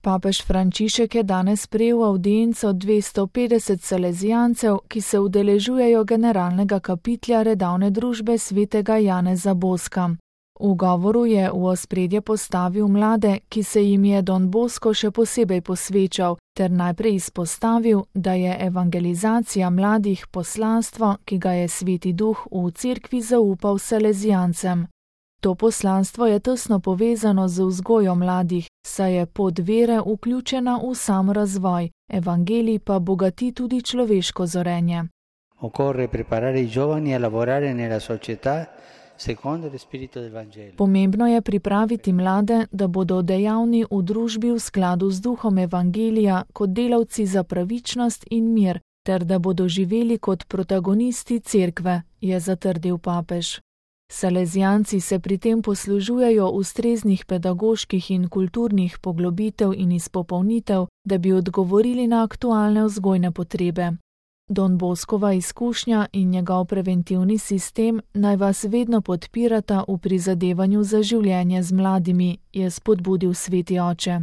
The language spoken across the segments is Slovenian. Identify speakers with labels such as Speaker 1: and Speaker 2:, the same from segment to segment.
Speaker 1: Papež Frančišek je danes prejel avdienco 250 salezijancev, ki se udeležujejo generalnega kapitlja redavne družbe svetega Janeza Boska. V govoru je v ospredje postavil mlade, ki se jim je Don Bosco še posebej posvečal, ter najprej izpostavil, da je evangelizacija mladih poslanstvo, ki ga je Sveti Duh v cerkvi zaupal salezijancem. To poslanstvo je tesno povezano z vzgojo mladih, saj je pot vere vključena v sam razvoj, evangelij pa bogati tudi človeško zorenje.
Speaker 2: Occorre preparare i giovani a lavorare nella società secondo lo spirito del Vangelo.
Speaker 1: Pomembno je pripraviti mlade, da bodo dejavni v družbi v skladu z duhom evangelija kot delavci za pravičnost in mir, ter da bodo živeli kot protagonisti cerkve, je zatrdil papež. Salezijanci se pri tem poslužujejo ustreznih pedagoških in kulturnih poglobitev in izpopolnitev, da bi odgovorili na aktualne vzgojne potrebe. Don Boskova izkušnja in njegov preventivni sistem naj vas vedno podpirata v prizadevanju za življenje z mladimi, je spodbudil sveti oče.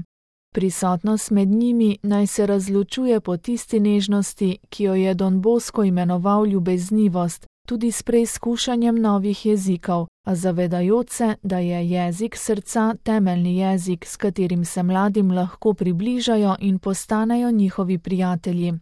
Speaker 1: Prisotnost med njimi naj se razločuje po tisti nežnosti, ki jo je Don Bosko imenoval ljubeznivost, tudi s preizkušanjem novih jezikov, a zavedajoč se, da je jezik srca temeljni jezik, s katerim se mladim lahko približajo in postanejo njihovi prijatelji.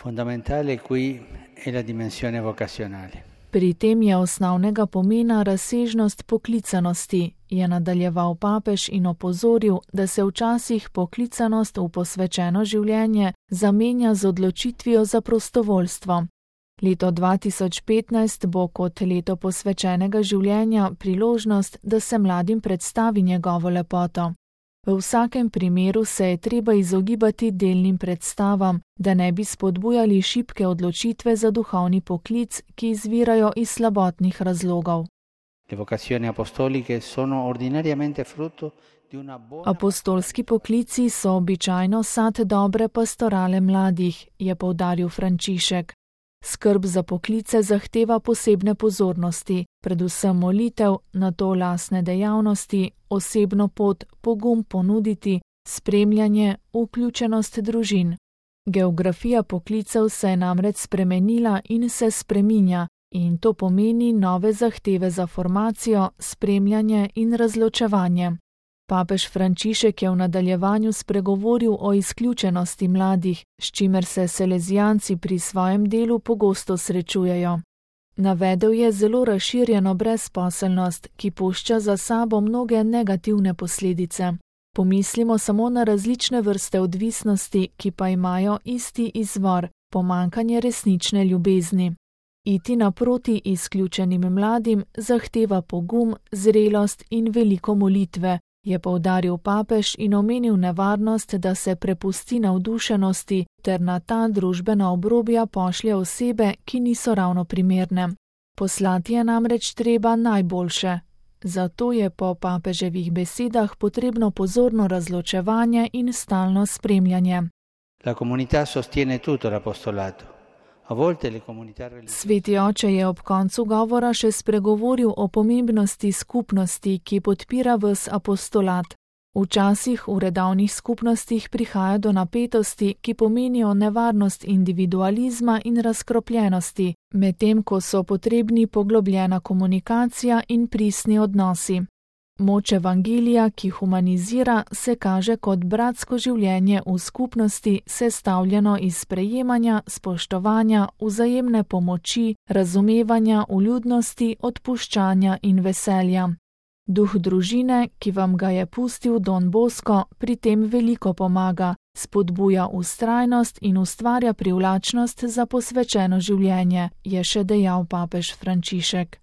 Speaker 2: Fondamentale qui è la dimensione vocazionale.
Speaker 1: Pri tem je osnovnega pomena razsežnost poklicanosti, je nadaljeval papež in opozoril, da se včasih poklicanost v posvečeno življenje zamenja z odločitvijo za prostovoljstvo. Leto 2015 bo kot leto posvečenega življenja priložnost, da se mladim predstavi njegovo lepoto. V vsakem primeru se je treba izogibati delnim predstavam, da ne bi spodbujali šibke odločitve za duhovni poklic, ki izvirajo iz slabotnih razlogov. Apostolski poklici so običajno sad dobre pastorale mladih, je poudaril Frančišek. Skrb za poklice zahteva posebne pozornosti, predvsem molitev, nato lastne dejavnosti, osebno pot, pogum ponuditi, spremljanje, vključenost družin. Geografija poklicev se je namreč spremenila in se spreminja, in to pomeni nove zahteve za formacijo, spremljanje in razločevanje. Papež Frančišek je v nadaljevanju spregovoril o izključenosti mladih, s čimer se salezijanci pri svojem delu pogosto srečujejo. Navedel je zelo razširjeno brezposelnost, ki pušča za sabo mnoge negativne posledice. Pomislimo samo na različne vrste odvisnosti, ki pa imajo isti izvor, pomanjkanje resnične ljubezni. Iti naproti izključenim mladim zahteva pogum, zrelost in veliko molitve, je poudaril papež in omenil nevarnost, da se prepusti navdušenosti ter na ta družbena obrobja pošlje osebe, ki niso ravno primerne. Poslati je namreč treba najboljše. Zato je po papeževih besedah potrebno pozorno razločevanje in stalno spremljanje.
Speaker 2: La comunità sostiene tutto l'apostolato.
Speaker 1: Sveti oče je ob koncu govora še spregovoril o pomembnosti skupnosti, ki podpira ves apostolat. Včasih v redavnih skupnostih prihaja do napetosti, ki pomenijo nevarnost individualizma in razkropljenosti, medtem ko so potrebni poglobljena komunikacija in pristni odnosi. Moč evangelija, ki humanizira, se kaže kot bratsko življenje v skupnosti, sestavljeno iz sprejemanja, spoštovanja, vzajemne pomoči, razumevanja, vljudnosti, odpuščanja in veselja. Duh družine, ki vam ga je pustil Don Bosco, pri tem veliko pomaga, spodbuja vztrajnost in ustvarja privlačnost za posvečeno življenje, je še dejal papež Frančišek.